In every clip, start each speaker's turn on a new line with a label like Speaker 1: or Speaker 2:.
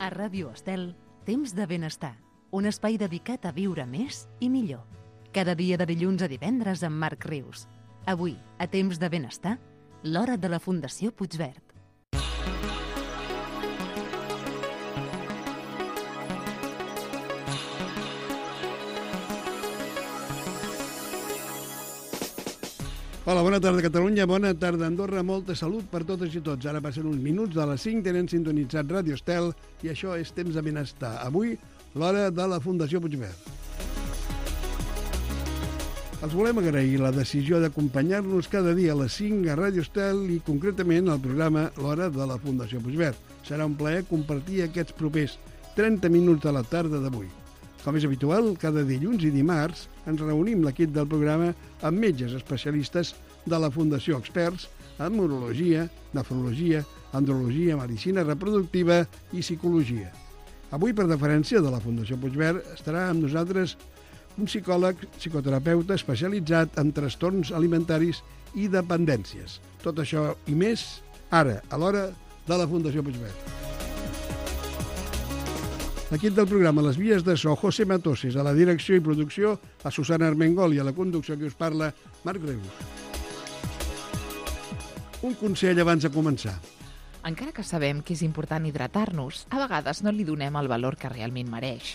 Speaker 1: A Ràdio Estel, Temps de Benestar, un espai dedicat a viure més i millor. Cada dia de dilluns a divendres amb Marc Rius. Avui, a Temps de Benestar, l'hora de la Fundació Puigverd.
Speaker 2: Hola, bona tarda Catalunya, bona tarda Andorra, molta salut per totes i tots. Ara passen uns minuts de les 5, tenen sintonitzat Ràdio Estel i això és Temps de Benestar. Avui, l'hora de la Fundació Puigverd. Els volem agrair la decisió d'acompanyar-nos cada dia a les 5 a Ràdio Estel i concretament al programa L'Hora de la Fundació Puigverd. Serà un plaer compartir aquests propers 30 minuts de la tarda d'avui. Com és habitual, cada dilluns i dimarts ens reunim l'equip del programa amb metges especialistes de la Fundació, experts en urologia, nefrologia, andrologia, medicina reproductiva i psicologia. Avui, per deferència de la Fundació Puigverd, estarà amb nosaltres un psicòleg, psicoterapeuta especialitzat en trastorns alimentaris i dependències. Tot això i més, ara, a l'hora de la Fundació Puigverd. L'equip del programa Les Vies de So, José Matoses, a la direcció i producció, a Susana Armengol i a la conducció que us parla, Marc Rius. Un consell abans de començar.
Speaker 3: Encara que sabem que és important hidratar-nos, a vegades no li donem el valor que realment mereix.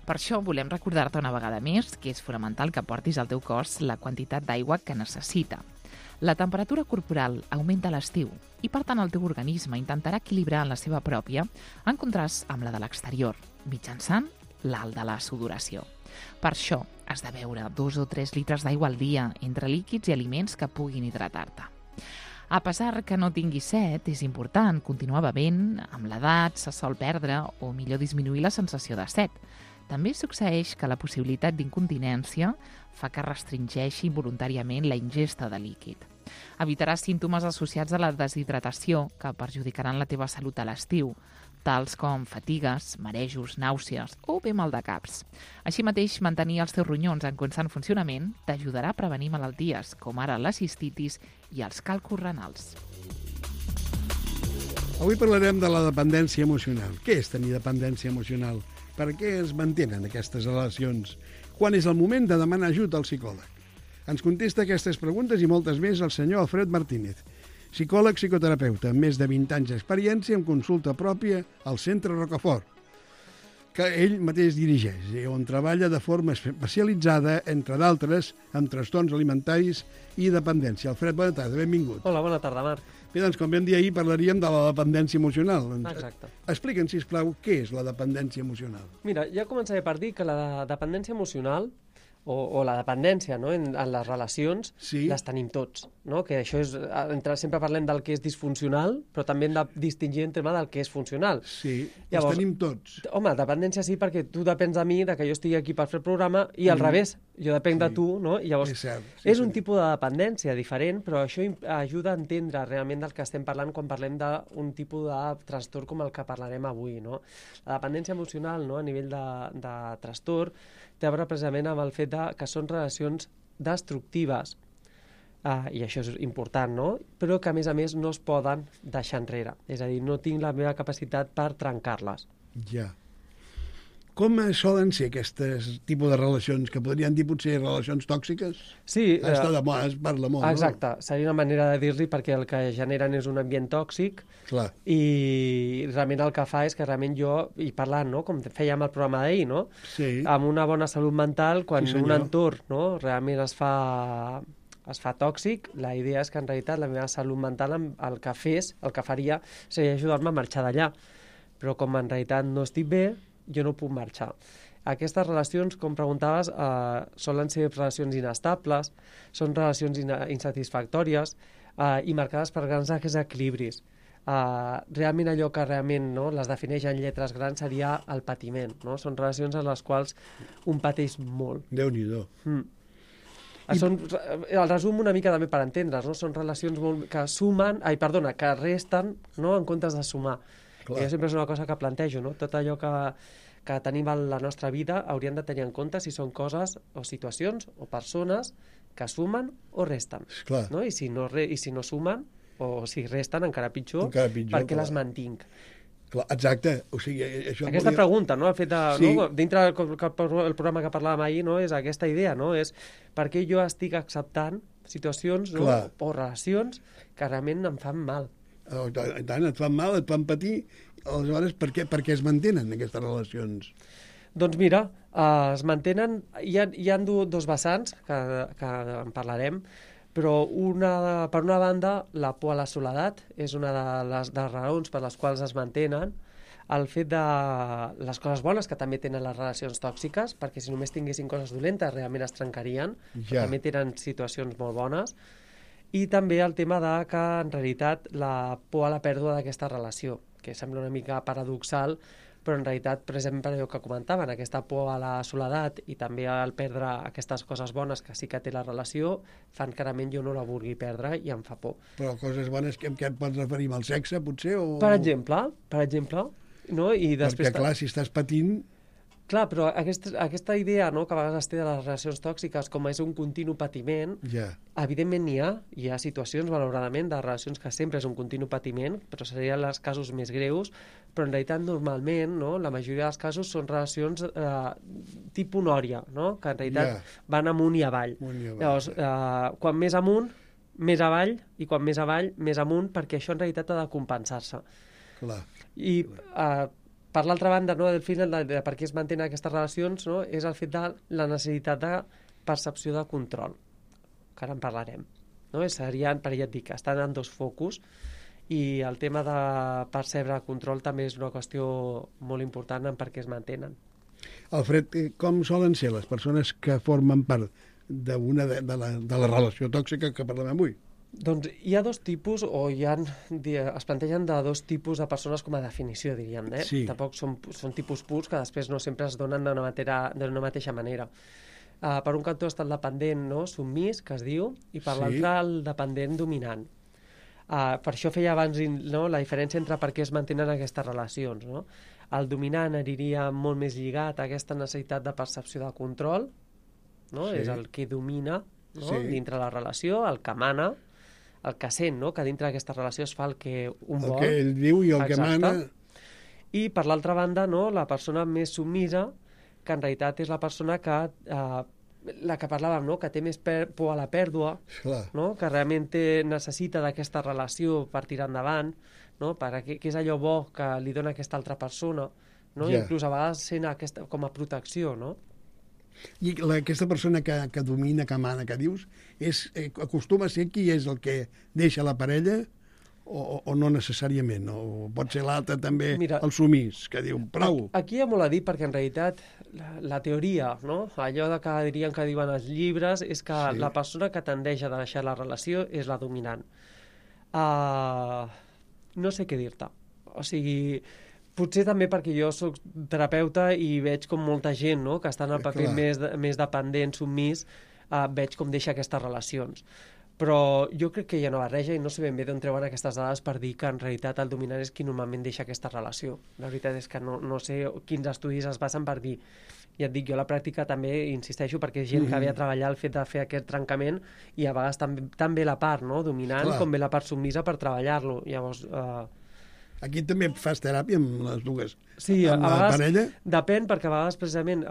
Speaker 3: Per això volem recordar-te una vegada més que és fonamental que portis al teu cos la quantitat d'aigua que necessita. La temperatura corporal augmenta a l'estiu i, per tant, el teu organisme intentarà equilibrar la seva pròpia en contrast amb la de l'exterior, mitjançant l'alt de la sudoració. Per això has de beure 2 o 3 litres d'aigua al dia entre líquids i aliments que puguin hidratar-te. A pesar que no tinguis set, és important continuar bevent. Amb l'edat se sol perdre o millor disminuir la sensació de set. També succeeix que la possibilitat d'incontinència fa que restringeixi voluntàriament la ingesta de líquid. Evitaràs símptomes associats a la deshidratació que perjudicaran la teva salut a l'estiu, tals com fatigues, marejos, nàusees o bé mal de caps. Així mateix, mantenir els teus ronyons en constant funcionament t'ajudarà a prevenir malalties com ara la cistitis i els càlculs renals.
Speaker 2: Avui parlarem de la dependència emocional. Què és tenir dependència emocional? Per què es mantenen aquestes relacions? Quan és el moment de demanar ajut al psicòleg? Ens contesta aquestes preguntes i moltes més el senyor Alfred Martínez, psicòleg psicoterapeuta, amb més de 20 anys d'experiència en consulta pròpia al Centre Rocafort, que ell mateix dirigeix, i on treballa de forma especialitzada, entre d'altres, en trastorns alimentaris i dependència. Alfred, bona tarda, benvingut.
Speaker 4: Hola, bona tarda, Marc.
Speaker 2: Bé, doncs, com vam dir ahir, parlaríem de la dependència emocional.
Speaker 4: Exacte.
Speaker 2: Explica'ns, sisplau, què és la dependència emocional?
Speaker 4: Mira, ja començaré per dir que la dependència emocional o la dependència, no, en les relacions,
Speaker 2: sí,
Speaker 4: les tenim tots, no? Que això és, sempre parlem del que és disfuncional, però també hem de distingir en tema del que és funcional.
Speaker 2: Sí,
Speaker 4: llavors,
Speaker 2: els tenim tots.
Speaker 4: Home, dependència sí, perquè tu depens de mi, de que jo estigui aquí per fer el programa, i al revés, jo depenc de tu, no? I llavors,
Speaker 2: és cert,
Speaker 4: és un tipus de dependència diferent, però això ajuda a entendre realment del que estem parlant quan parlem d'un tipus de trastorn com el que parlarem avui, no? La dependència emocional, no, a nivell de trastorn, té a veure precisament amb el fet que són relacions destructives, i això és important, no? Però que, a més, no es poden deixar enrere. És a dir, no tinc la meva capacitat per trencar-les.
Speaker 2: Ja. Com solen ser aquests tipus de relacions, que podrien dir potser relacions tòxiques?
Speaker 4: Sí.
Speaker 2: Està de moda, es parla molt,
Speaker 4: exacte,
Speaker 2: no?
Speaker 4: Seria una manera de dir-li, perquè el que generen és un ambient tòxic.
Speaker 2: Clar.
Speaker 4: I realment el que fa és que realment jo, i parlant, no, com fèiem el programa d'ahir, no?
Speaker 2: Sí.
Speaker 4: Amb una bona salut mental, quan
Speaker 2: sí,
Speaker 4: un entorn, no, realment es fa tòxic, la idea és que en realitat la meva salut mental el que faria seria ajudar-me a marxar d'allà. Però com en realitat no estic bé, jo no puc marxar. Aquestes relacions, com preguntaves, solen ser relacions inestables, són relacions insatisfactòries i marcades per grans desequilibris. Realment allò que realment, no, les defineix en lletres grans seria el patiment, no? Són relacions en les quals un pateix molt.
Speaker 2: Déu-n'hi-do.
Speaker 4: El resum una mica també per entendre's, no? Són relacions que resten, no, en comptes de sumar. Clar. Jo sempre és una cosa que plantejo, no? Tot allò que tenim a la nostra vida hauríem de tenir en compte si són coses o situacions o persones que sumen o resten.
Speaker 2: Clar.
Speaker 4: No? I si no sumen o si resten, encara pitjor,
Speaker 2: perquè
Speaker 4: les mantinc.
Speaker 2: Clar, exacte. O sigui, això
Speaker 4: Aquesta pregunta, no? El fet de,
Speaker 2: Sí.
Speaker 4: no? Dintre el programa que parlàvem ahir, no? És aquesta idea, no? És per què jo estic acceptant situacions, no?
Speaker 2: Clar.
Speaker 4: O relacions que realment em fan mal.
Speaker 2: I tant, et fan mal, et fan patir, aleshores per què es mantenen aquestes relacions?
Speaker 4: Doncs mira, es mantenen... Hi ha dos vessants, que en parlarem, però per una banda, la por a la soledat és una de les raons per les quals es mantenen, el fet de les coses bones que també tenen les relacions tòxiques, perquè si només tinguessin coses dolentes realment es trencarien,
Speaker 2: Ja.
Speaker 4: també tenen situacions molt bones, i també el tema de que en realitat la por a la pèrdua d'aquesta relació, que sembla una mica paradoxal, però en realitat, per exemple, allò que comentaven, aquesta por a la soledat i també al perdre aquestes coses bones que sí que té la relació, fan que realment jo no la vulgui perdre i em fa por.
Speaker 2: Però coses bones, què et pots referir al sexe, potser? O...
Speaker 4: Per exemple, no? I després...
Speaker 2: Perquè, clar, si estàs patint...
Speaker 4: Clar, però aquesta idea, no?, que a vegades es té de les relacions tòxiques com és un continu patiment,
Speaker 2: Ja.
Speaker 4: evidentment hi ha situacions, malauradament, de relacions que sempre és un continu patiment, però serien els casos més greus, però en realitat normalment, no?, la majoria dels casos són relacions tipus nòria, no?, que en realitat van amunt i avall. Llavors, quan més amunt, més avall, i quan més avall, més amunt, perquè això en realitat ha de compensar-se.
Speaker 2: Clar.
Speaker 4: I per l'altra banda, no, del final de per què es mantenen aquestes relacions, no, és el fet de la necessitat de percepció de control, que ara en parlarem. No? Serien, per ja et dic, estan en dos focus, i el tema de percebre control també és una qüestió molt important en per què es mantenen.
Speaker 2: Alfred, com solen ser les persones que formen part de la relació tòxica que parlem avui?
Speaker 4: Doncs hi ha dos tipus, o es plantegen de dos tipus de persones com a definició, diríem, eh?
Speaker 2: Sí.
Speaker 4: Tampoc són tipus purs que després no sempre es donen d'una mateixa manera. Per un cantó està el dependent, no?, submís, que es diu, i per l'altre el dependent dominant. Per això feia abans, no, la diferència entre per què es mantenen aquestes relacions, no? El dominant aniria molt més lligat a aquesta necessitat de percepció de control, no?
Speaker 2: Sí.
Speaker 4: És el que domina, no?,
Speaker 2: Sí.
Speaker 4: dintre la relació, el que mana, el que sent, no?, que dintre d'aquesta relació es fa el que un vol.
Speaker 2: El que ell diu i el que mana...
Speaker 4: I per l'altra banda, no?, la persona més submisa, que en realitat és la persona que, la que parlàvem, no?, que té més por a la pèrdua,
Speaker 2: Clar.
Speaker 4: no?, que realment necessita d'aquesta relació per tirar endavant, no?, que és allò bo que li dona aquesta altra persona, no?
Speaker 2: Ja.
Speaker 4: Inclús a vegades sent com a protecció, no?
Speaker 2: I aquesta persona que domina, que mana, que dius, acostuma a ser qui és el que deixa la parella o no necessàriament? O pot ser l'altre també,
Speaker 4: Mira,
Speaker 2: el sumís, que diu prou.
Speaker 4: Aquí hi ha molt a dir perquè en realitat la teoria, no?, allò de que diuen els llibres, és que
Speaker 2: Sí.
Speaker 4: la persona que tendeix a deixar la relació és la dominant. No sé què dir-te. O sigui, potser també perquè jo sóc terapeuta i veig com molta gent, no?, que està en el paper més dependent, submís, veig com deixa aquestes relacions. Però jo crec que hi ha una barreja i no sé ben bé d'on treuen aquestes dades per dir que en realitat el dominant és qui normalment deixa aquesta relació. La veritat és que no sé quins estudis es basen per dir. Ja et dic, jo a la pràctica també insisteixo perquè és gent que ve a treballar el fet de fer aquest trencament i a vegades també la part, no?, dominant, com ve la part submisa per treballar-lo. Llavors...
Speaker 2: Aquí també fas teràpia amb les dues.
Speaker 4: Sí, a
Speaker 2: amb la
Speaker 4: vegades
Speaker 2: parella?
Speaker 4: depèn, perquè a vegades precisament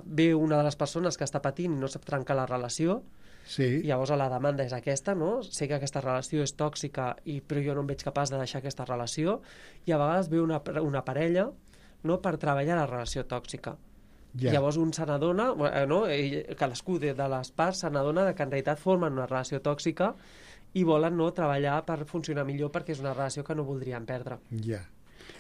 Speaker 4: ve una de les persones que està patint i no sap trencar la relació,
Speaker 2: Sí.
Speaker 4: i llavors la demanda és aquesta, no? Sé que aquesta relació és tòxica, però jo no em veig capaç de deixar aquesta relació, i a vegades ve una parella, no?, per treballar la relació tòxica.
Speaker 2: Ja.
Speaker 4: Llavors un se n'adona, no?, cadascú de les parts se n'adona que en realitat formen una relació tòxica i volen, no?, treballar per funcionar millor perquè és una relació que no voldrien perdre.
Speaker 2: Ja.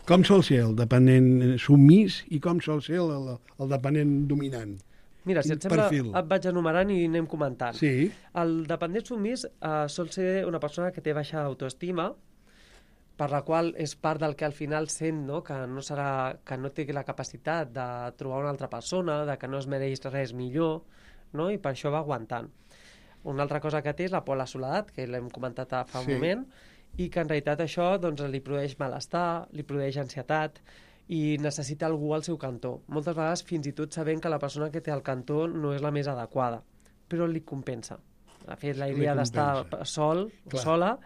Speaker 2: Com sol ser el dependent submís i com sol ser el dependent dominant?
Speaker 4: Mira, si et sembla, et vaig enumerant i anem comentant.
Speaker 2: Sí.
Speaker 4: El dependent submís sol ser una persona que té baixa autoestima, per la qual és part del que al final sent, no?, que no té la capacitat de trobar una altra persona, de que no es mereix res millor, no?, i per això va aguantant. Una altra cosa que té és la por a la soledat, que l'hem comentat fa un moment, i que en realitat això doncs, li produeix malestar, li produeix ansietat, i necessita algú al seu cantó. Moltes vegades fins i tot sabent que la persona que té al cantó no és la més adequada, però li compensa. De fet, la idea d'estar sola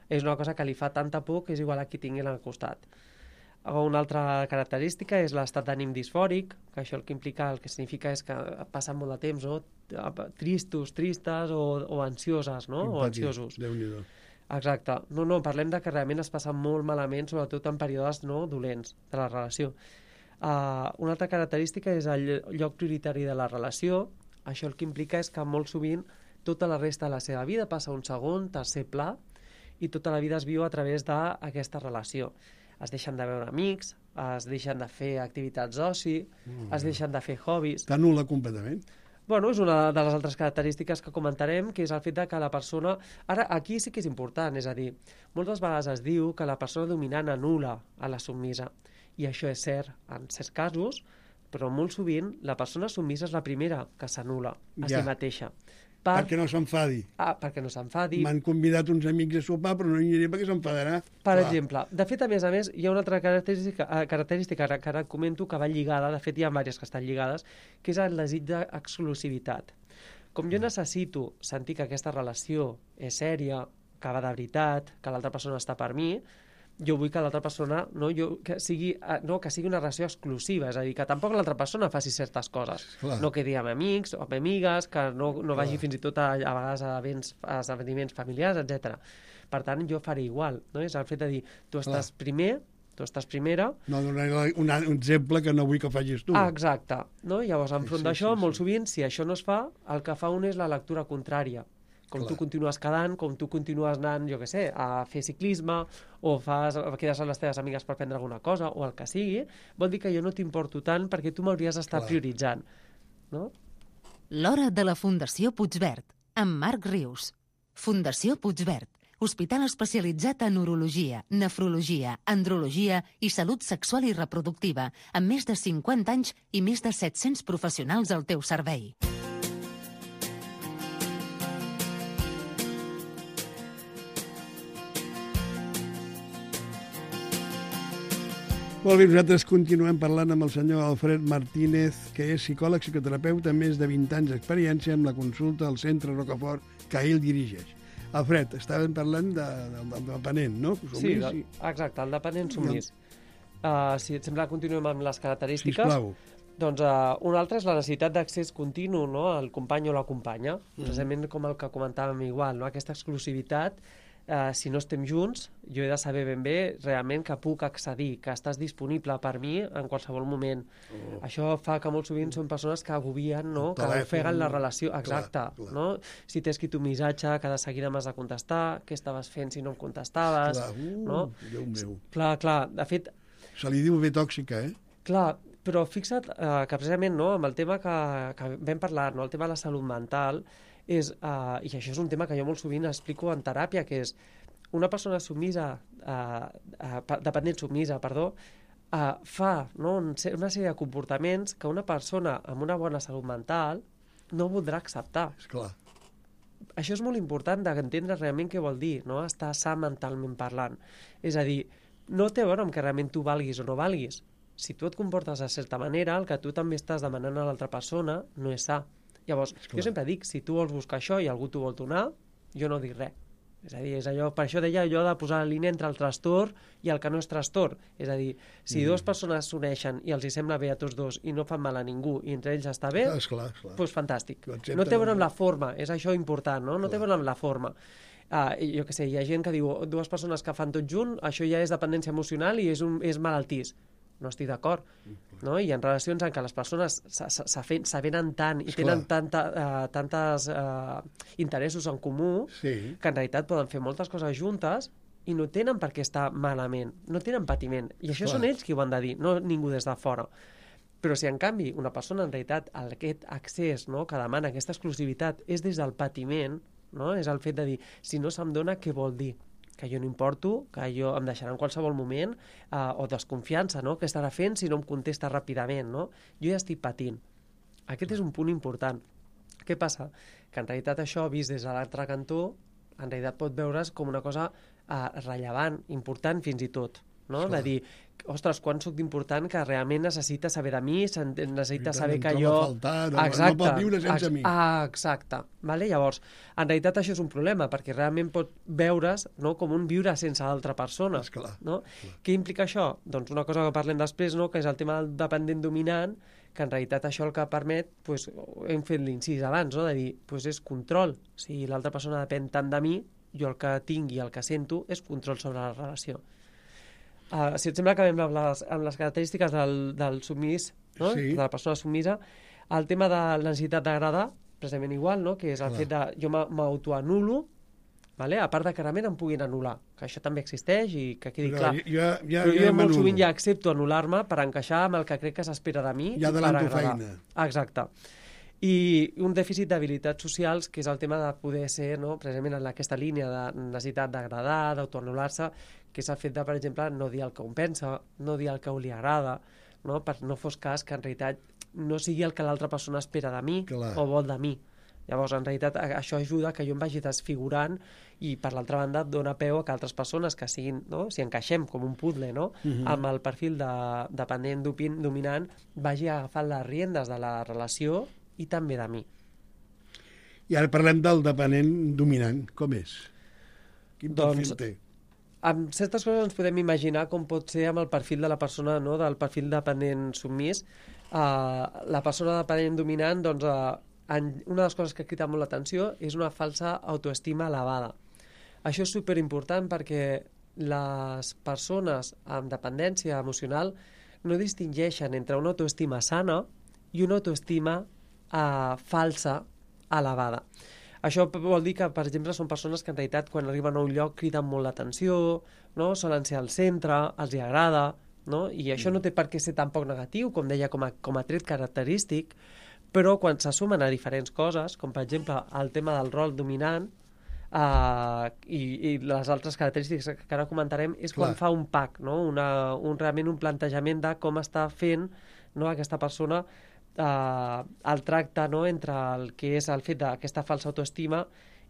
Speaker 4: és una cosa que li fa tanta por que és igual a qui tingui al costat. Una altra característica és l'estat d'ànim disfòric, que això el que significa és que passen molt de temps, no? Tristes o ansioses, no? O ansiosos.
Speaker 2: Déu-n'hi-do.
Speaker 4: Exacte. No, parlem de que realment es passen molt malament, sobretot en períodes dolents de la relació. Una altra característica és el lloc prioritari de la relació. Això el que implica és que molt sovint tota la resta de la seva vida passa a un segon, tercer pla, i tota la vida es viu a través d'aquesta relació. Es deixen de veure amics, es deixen de fer activitats d'oci, es deixen de fer hobbies.
Speaker 2: T'anul·la completament.
Speaker 4: Bueno, és una de les altres característiques que comentarem, que és el fet de que la persona... Ara, aquí sí que és important, és a dir, moltes vegades es diu que la persona dominant anul·la a la submisa, i això és cert en certs casos, però molt sovint la persona submisa és la primera que s'anul·la a si mateixa.
Speaker 2: Perquè no s'enfadi.
Speaker 4: Perquè no s'enfadi.
Speaker 2: M'han convidat uns amics a sopar, però no hi aniré perquè s'enfadarà.
Speaker 4: Per exemple. De fet, a més, hi ha una altra característica que ara comento que va lligada, de fet hi ha diverses que estan lligades, que és el desig d'exclusivitat. Com jo necessito sentir que aquesta relació és sèria, que va de veritat, que l'altra persona està per mi, jo vull que l'altra persona que sigui una relació exclusiva, és a dir, que tampoc l'altra persona faci certes coses.
Speaker 2: Clar.
Speaker 4: No quedi amb amics o amb amigues, que no vagi fins i tot a vegades a esdeveniments familiars, etc. Per tant, jo faré igual. No? És el fet de dir, tu estàs primer, tu estàs primera...
Speaker 2: No donaré un exemple que no vull que facis tu.
Speaker 4: Exacte. No? Llavors, enfront d'això, molt sovint, si això no es fa, el que fa un és la lectura contrària. Com tu continues quedant, com tu continues anant, jo què sé, a fer ciclisme, o quedes amb les teves amigues per prendre alguna cosa, o el que sigui, vol dir que jo no t'importo tant perquè tu m'hauries d'estar prioritzant. No?
Speaker 1: L'hora de la Fundació Puigverd, amb Marc Rius. Fundació Puigverd, hospital especialitzat en urologia, nefrologia, andrologia i salut sexual i reproductiva, amb més de 50 anys i més de 700 professionals al teu servei.
Speaker 2: Molt bé, nosaltres continuem parlant amb el senyor Alfred Martínez, que és psicòleg, psicoterapeuta, amb més de 20 anys d'experiència amb la consulta al Centre Rocafort, que ell dirigeix. Alfred, estàvem parlant del dependent, no?
Speaker 4: Sí, exacte, el dependent submís. Si et sembla, continuem amb les característiques.
Speaker 2: Sisplau.
Speaker 4: Doncs una altra és la necessitat d'accés continu, no?, al company o la companya, precisament com el que comentàvem igual, no?, aquesta exclusivitat. Si no estem junts, jo he de saber ben bé realment que puc accedir, que estàs disponible per mi en qualsevol moment. Això fa que molt sovint són persones que agobien, no?, que ofeguen la relació. Exacte.
Speaker 2: Clar.
Speaker 4: No? Si t'he escrit un missatge, que de seguida m'has de contestar, què estaves fent si no em contestaves.
Speaker 2: Clar, Déu meu.
Speaker 4: Clar. De fet...
Speaker 2: Se li diu bé tòxica, eh?
Speaker 4: Clar, però fixa't que precisament, no?, amb el tema que vam parlar, no?, el tema de la salut mental, i això és un tema que jo molt sovint explico en teràpia, que és una persona dependent submisa, fa, no?, una sèrie de comportaments que una persona amb una bona salut mental no voldrà acceptar.
Speaker 2: Esclar.
Speaker 4: Això és molt important d'entendre realment què vol dir, no?, estar sa mentalment parlant. És a dir, no té a veure amb que realment tu valguis o no valguis. Si tu et comportes de certa manera, el que tu també estàs demanant a l'altra persona no és sa. Llavors, jo sempre dic, si tu vols buscar això i algú t'ho vol donar, jo no dic res. És a dir, és allò, per això deia allò de posar la línia entre el trastorn i el que no és trastorn. És a dir, si dues persones s'uneixen i els hi sembla bé a tots dos i no fan mal a ningú i entre ells està bé, doncs fantàstic. No té a veure amb la forma, és això important, no? No té a veure amb la forma. Jo què sé, hi ha gent que diu, dues persones que fan tot junt, això ja és dependència emocional i és malaltís. No estic d'acord, no? Hi ha relacions en què les persones s'avenen tant i tenen tantes interessos en comú que en realitat poden fer moltes coses juntes i no tenen per què estar malament, no tenen patiment. I això són ells qui ho han de dir, no ningú des de fora. Però si en canvi una persona en realitat aquest accés, no?, que demana aquesta exclusivitat és des del patiment, no?, és el fet de dir, si no se'm dona, què vol dir? Que jo no importo, que jo em deixarà en qualsevol moment, o desconfiança, no?, què estarà fent si no em contesta ràpidament, no? Jo ja estic patint. Aquest és un punt important. Què passa? Que en realitat això, vist des de l'altre cantó, en realitat pot veure's com una cosa rellevant, important fins i tot. no? De dir, ostres, quan sóc d'important que realment necessita saber de mi, necessita saber que jo...
Speaker 2: No pot viure sense mi.
Speaker 4: Exacte. Vale? Llavors, en realitat això és un problema, perquè realment pot veure's, no, com un viure sense altra persona. No? Què implica això? Doncs una cosa que parlem després, no, que és el tema del dependent dominant, que en realitat això el que permet, doncs, hem fet l'incís abans, no? De dir, doncs és control. Si l'altra persona depèn tant de mi, jo el que tinc i el que sento és control sobre la relació. Si et sembla, acabem amb les característiques del submís, no?
Speaker 2: Sí.
Speaker 4: De la persona submisa. El tema de la necessitat d'agradar, precisament igual, no? Que és el fet de jo m'autoanulo, vale? A part de que realment em puguin anul·lar, que això també existeix i que quedi clar. Però jo molt sovint ja accepto anul·lar-me per encaixar amb el que crec que s'espera de mi.
Speaker 2: Ja adelanto feina.
Speaker 4: Exacte. I un dèficit d'habilitats socials, que és el tema de poder ser, no, precisament en aquesta línia de necessitat d'agradar, d'autoanul·lar-se, que és el fet de, per exemple, no dir el que un pensa, no dir el que li agrada, no? Per no fos cas que en realitat no sigui el que l'altra persona espera de mi o vol de mi. Llavors, en realitat, això ajuda que jo em vagi desfigurant i, per l'altra banda, dona peu a que altres persones que siguin, no? Si encaixem com un puzzle, no? Amb el perfil de dependent dominant, vagi agafant les riendes de la relació i també de mi.
Speaker 2: I ara parlem del dependent dominant. Com és? Quin perfil té?
Speaker 4: Amb certes coses ens podem imaginar com pot ser amb el perfil de la persona, no? Del perfil dependent submís. La persona dependent dominant, doncs, una de les coses que ha cridat molt l'atenció és una falsa autoestima elevada. Això és superimportant perquè les persones amb dependència emocional no distingeixen entre una autoestima sana i una autoestima falsa elevada. Això vol dir que, per exemple, són persones que en realitat quan arriben a un lloc criden molt l'atenció, no? Solen ser al centre, els hi agrada, no? I això no té per què ser tampoc negatiu, com deia, com a tret característic, però quan se sumen a diferents coses, com per exemple el tema del rol dominant i les altres característiques que ara comentarem, és quan fa un pack, no? Realment un plantejament de com està fent, no, aquesta persona el tracte, no, entre el que és el fet d'aquesta falsa autoestima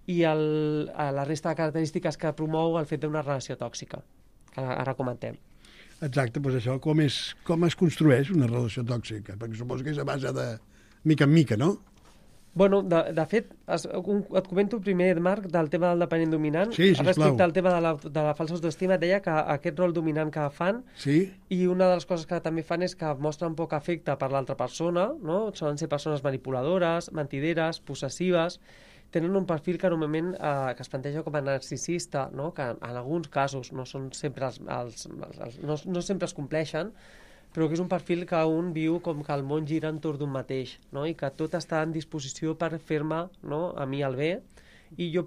Speaker 4: i la resta de característiques que promou el fet d'una relació tòxica, que ara comentem.
Speaker 2: Exacte, doncs això, com es construeix una relació tòxica? Perquè suposo que és a base de mica en mica, no?
Speaker 4: Bueno, de fet, et comento primer, Marc, del tema del dependent dominant.
Speaker 2: Sí, sisplau.
Speaker 4: Respecte al tema de la falsa autoestima, et deia que aquest rol dominant que fan, i una de les coses que també fan és que mostren poc afecte per l'altra persona, no? Solen ser persones manipuladores, mentideres, possessives, tenen un perfil que normalment que es planteja com a narcisista, no? Que en alguns casos no són sempre no sempre es compleixen, però que és un perfil que un viu com que el món gira entorn d'un mateix, no? I que tot està en disposició per fer-me, no, a mi el bé, i jo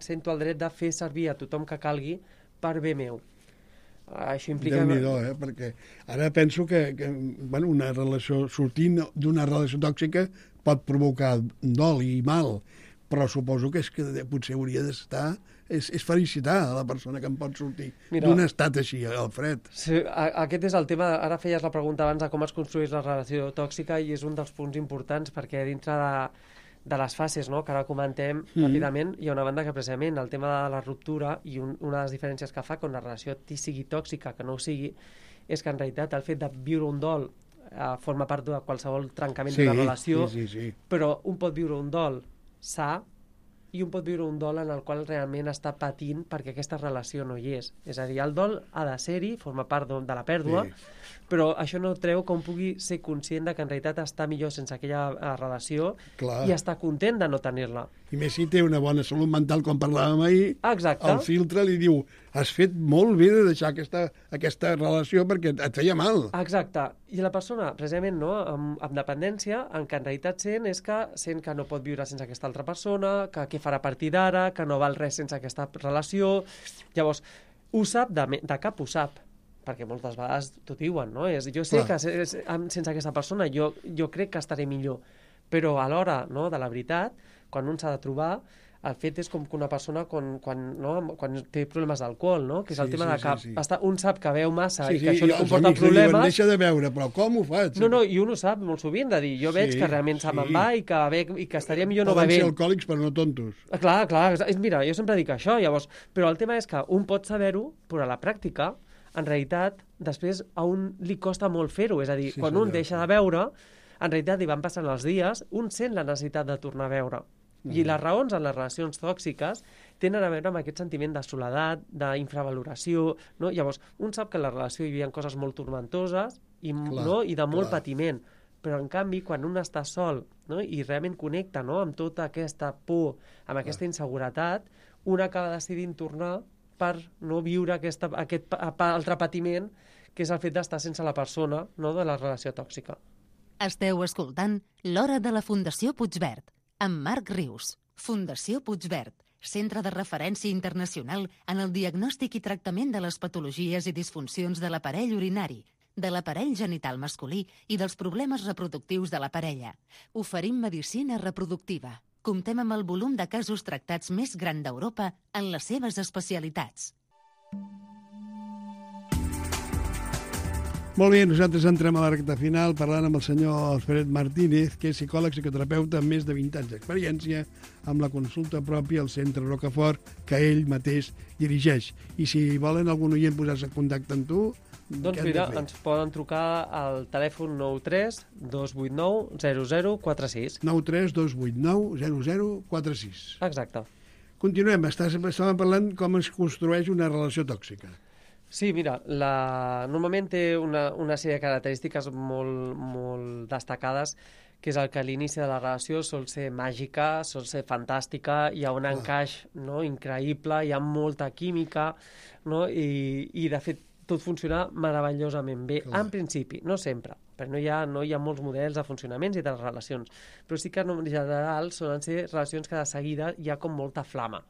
Speaker 4: sento el dret de fer servir a tothom que calgui per bé meu. Això implica...
Speaker 2: Déu-n'hi-do, perquè ara penso que bueno, una relació, sortint d'una relació tòxica pot provocar dol i mal, però suposo que és que potser hauria d'estar... És felicitar a la persona que em pot sortir d'un estat així, Alfred.
Speaker 4: Sí, aquest és el tema. Ara feies la pregunta abans de com es construeix la relació tòxica i és un dels punts importants perquè dintre de les fases, no, que ara comentem ràpidament, hi ha una banda que precisament el tema de la ruptura i una de les diferències que fa quan la relació sigui tòxica, que no ho sigui, és que en realitat el fet de viure un dol forma part de qualsevol trencament d'una relació, però un pot viure un dol sa i un pot viure un dol en el qual realment està patint perquè aquesta relació no hi és. És a dir, el dol ha de ser-hi, forma part de la pèrdua, però això no treu que un pugui ser conscient de que en realitat està millor sense aquella relació i està content de no tenir-la.
Speaker 2: I més si té una bona salut mental, com parlàvem ahir, el filtre li diu has fet molt bé de deixar aquesta relació perquè et feia mal.
Speaker 4: Exacte. I la persona, precisament, no, amb dependència, en què en realitat sent que no pot viure sense aquesta altra persona, que què farà a partir d'ara, que no val res sense aquesta relació. Llavors, ho sap, de cap ho sap, perquè moltes vegades t'ho diuen, no? Jo sé que sense aquesta persona jo crec que estaré millor, però a l'hora, no, de la veritat, quan un s'ha de trobar, el fet és com que una persona quan té problemes d'alcohol, no? Que és el tema de que un sap que veu massa i que això li comporta problemes.
Speaker 2: Deixa de veure, però com ho faig?
Speaker 4: No, i un ho sap molt sovint, de dir, jo veig que realment se me'n va i que estaria millor no bevent.
Speaker 2: Poden ser alcohòlics, però no tontos.
Speaker 4: Clar, mira, jo sempre dic això, llavors, però el tema és que un pot saber-ho, però a la pràctica en realitat, després a un li costa molt fer-ho. És a dir,
Speaker 2: Sí,
Speaker 4: quan
Speaker 2: senyor,
Speaker 4: un deixa
Speaker 2: sí.
Speaker 4: de veure, en realitat hi van passant els dies, un sent la necessitat de tornar a veure. I les raons en les relacions tòxiques tenen a veure amb aquest sentiment de soledat, d'infravaloració, no? Llavors, un sap que en la relació hi havia coses molt tormentoses i,
Speaker 2: Clar,
Speaker 4: no? I de molt
Speaker 2: clar.
Speaker 4: patiment, però en canvi, quan un està sol, no? I realment connecta, no? Amb tota aquesta por, amb aquesta inseguretat, un acaba decidint tornar per no viure aquest altre patiment, que és el fet d'estar sense la persona, no? De la relació tòxica.
Speaker 1: Esteu escoltant l'Hora de la Fundació Puigverd, amb Marc Rius. Fundació Puigverd, centre de referència internacional en el diagnòstic i tractament de les patologies i disfuncions de l'aparell urinari, de l'aparell genital masculí i dels problemes reproductius de la parella. Oferim medicina reproductiva. Comptem amb el volum de casos tractats més gran d'Europa en les seves especialitats.
Speaker 2: Molt bé, nosaltres entrem a la recta final parlant amb el senyor Alfred Martínez, que és psicòleg psicoterapeuta amb més de 20 anys d'experiència amb la consulta pròpia al Centre Rocafort, que ell mateix dirigeix. I si volen algun oient posar-se en contacte amb tu,
Speaker 4: Doncs
Speaker 2: què han de
Speaker 4: mira,
Speaker 2: fer?
Speaker 4: ens poden trucar al telèfon 93 289 0046.
Speaker 2: 93 289 0046.
Speaker 4: Exacte.
Speaker 2: Continuem, estàvem parlant com es construeix una relació tòxica.
Speaker 4: Sí, mira, normalment té una sèrie de característiques molt destacades, que és el que a l'inici de la relació sol ser màgica, sol ser fantàstica, hi ha un encaix, no, increïble, hi ha molta química, no, i de fet tot funciona meravellosament bé,
Speaker 2: Clar.
Speaker 4: en principi, no sempre, perquè no hi ha molts models de funcionaments i de relacions, però sí que en general solen ser relacions que de seguida hi ha com molta flama.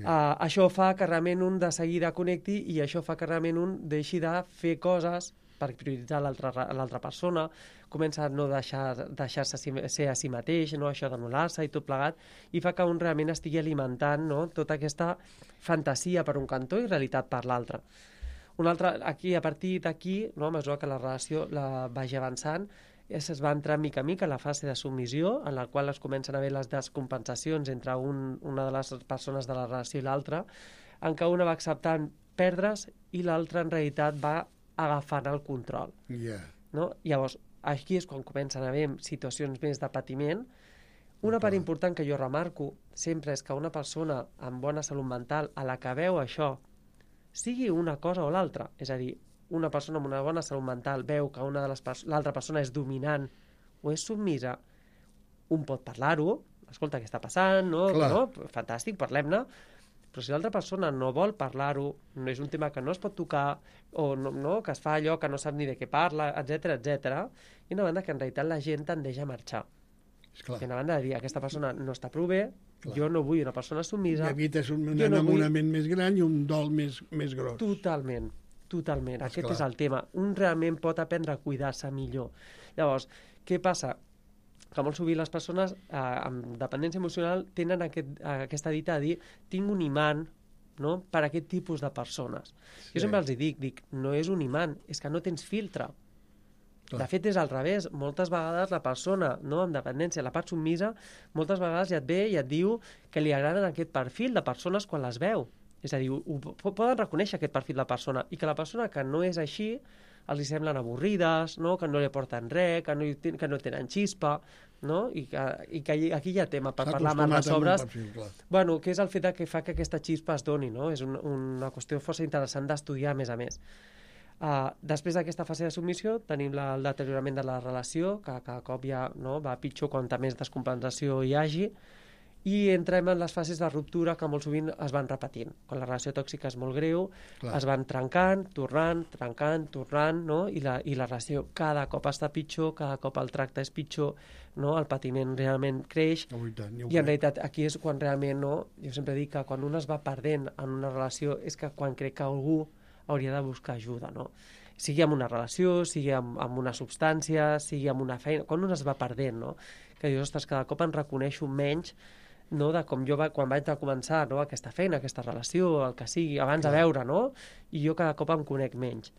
Speaker 4: Això fa que realment un de seguida connecti i això fa que realment un deixi de fer coses per prioritzar l'altra persona, comença a no deixar-se ser a si mateix, no? Això d'anul·lar-se i tot plegat, i fa que un realment estigui alimentant, no? Tota aquesta fantasia per un cantó i realitat per l'altre. A partir d'aquí, no? A mesura que la relació vagi avançant, es va entrar mica a mica en la fase de submissió, en la qual es comencen a haver les descompensacions entre una de les persones de la relació i l'altra, en què una va acceptant perdre's i l'altra en realitat va agafant el control. No? Llavors, aquí és quan comencen a haver situacions més de patiment. Una part important que jo remarco sempre és que una persona amb bona salut mental a la que veu això, sigui una cosa o l'altra, és a dir, una persona amb una bona salut mental veu que l'altra persona és dominant o és submisa, un pot parlar-ho, escolta, què està passant, no? Fantàstic, parlem-ne, però si l'altra persona no vol parlar-ho, no és un tema que no es pot tocar, o no, que es fa allò que no sap ni de què parla, etc, i una banda que en realitat la gent tendeix a marxar. I una banda de dir, aquesta persona no està prou bé, jo no vull una persona submisa.
Speaker 2: I evites un enamorament més gran i un dol més gros.
Speaker 4: Totalment. Aquest és el tema. Un realment pot aprendre a cuidar-se millor. Llavors, què passa? Que molt sovint les persones amb dependència emocional tenen aquesta dita de dir tinc un imant, no? Per a aquest tipus de persones. Sí. Jo sempre els dic, no és un imant, és que no tens filtre. De fet, és al revés. Moltes vegades la persona, no, amb dependència, la part submisa, moltes vegades ja et ve i et diu que li agraden aquest perfil de persones quan les veu. És a dir, poden reconèixer aquest perfil de persona i que la persona que no és així els hi semblen avorrides, no? Que no li aporten res, que no tenen xispa, no? I que aquí hi ha tema per parlar amb les obres. Bueno, que és el fet que fa que aquesta xispa es doni, no? És una qüestió força interessant d'estudiar, a més a més. Després d'aquesta fase de submissió tenim el deteriorament de la relació, que cada cop ja va pitjor quanta més descompensació hi hagi, i entrem en les fases de ruptura que molt sovint es van repetint. Quan la relació tòxica és molt greu, es van trencant, tornant, no? I la relació cada cop està pitjor, cada cop el tracte és pitjor, no? El patiment realment creix, i en realitat aquí és quan realment, jo sempre dic que quan un es va perdent en una relació és que quan crec que algú hauria de buscar ajuda, no? Sigui amb una relació, sigui amb una substància, sigui amb una feina, quan un es va perdent, no? Que dius, ostres, cada cop em reconeixo menys, no, de com jo quan vaig començar, no, aquesta feina, aquesta relació, el que sigui, abans de veure, no? I jo cada cop em conec menys.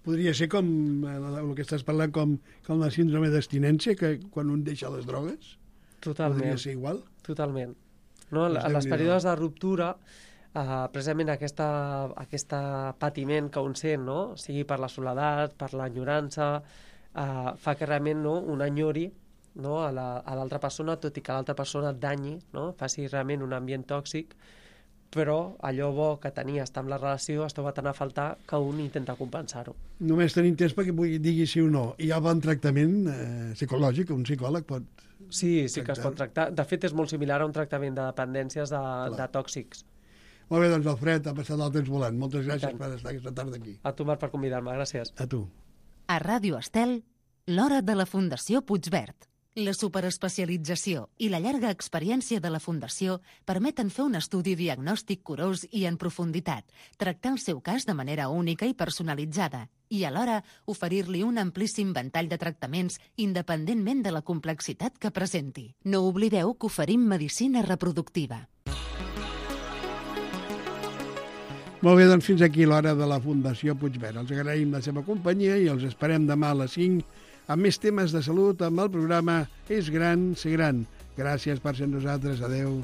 Speaker 2: Podria ser com el que estàs parlant, com la síndrome d'abstinència, que quan un deixa les drogues?
Speaker 4: Totalment.
Speaker 2: Podria ser igual?
Speaker 4: Totalment. No, en les períodes de ruptura precisament aquest patiment que un sent, no? Sigui per la soledat, per l'enyorança, fa que realment no, un enyori, no, a l'altra persona, tot i que l'altra persona et danyi, no? Faci realment un ambient tòxic, però allò bo que tenia estar amb la relació es troba tant a faltar que un intenta compensar-ho.
Speaker 2: Només tenim temps perquè digui sí o no. Hi ha bon tractament psicològic, un psicòleg pot...
Speaker 4: Sí que es pot tractar. De fet, és molt similar a un tractament de dependències de tòxics.
Speaker 2: Molt bé, doncs, Alfred, ha passat el temps volant. Moltes gràcies per estar aquesta tarda aquí.
Speaker 4: A tu, Marc, per convidar-me. Gràcies.
Speaker 2: A tu.
Speaker 1: A Ràdio Estel, l'hora de la Fundació Puigverd. La superespecialització i la llarga experiència de la Fundació permeten fer un estudi diagnòstic curós i en profunditat, tractar el seu cas de manera única i personalitzada i alhora oferir-li un amplíssim ventall de tractaments independentment de la complexitat que presenti. No oblideu que oferim medicina reproductiva.
Speaker 2: Molt bé, doncs fins aquí l'hora de la Fundació Puigverd. Els agraïm la seva companyia i els esperem demà a les 5 amb més temes de salut amb el programa És gran, ser gran. Gràcies per ser amb nosaltres. Adéu.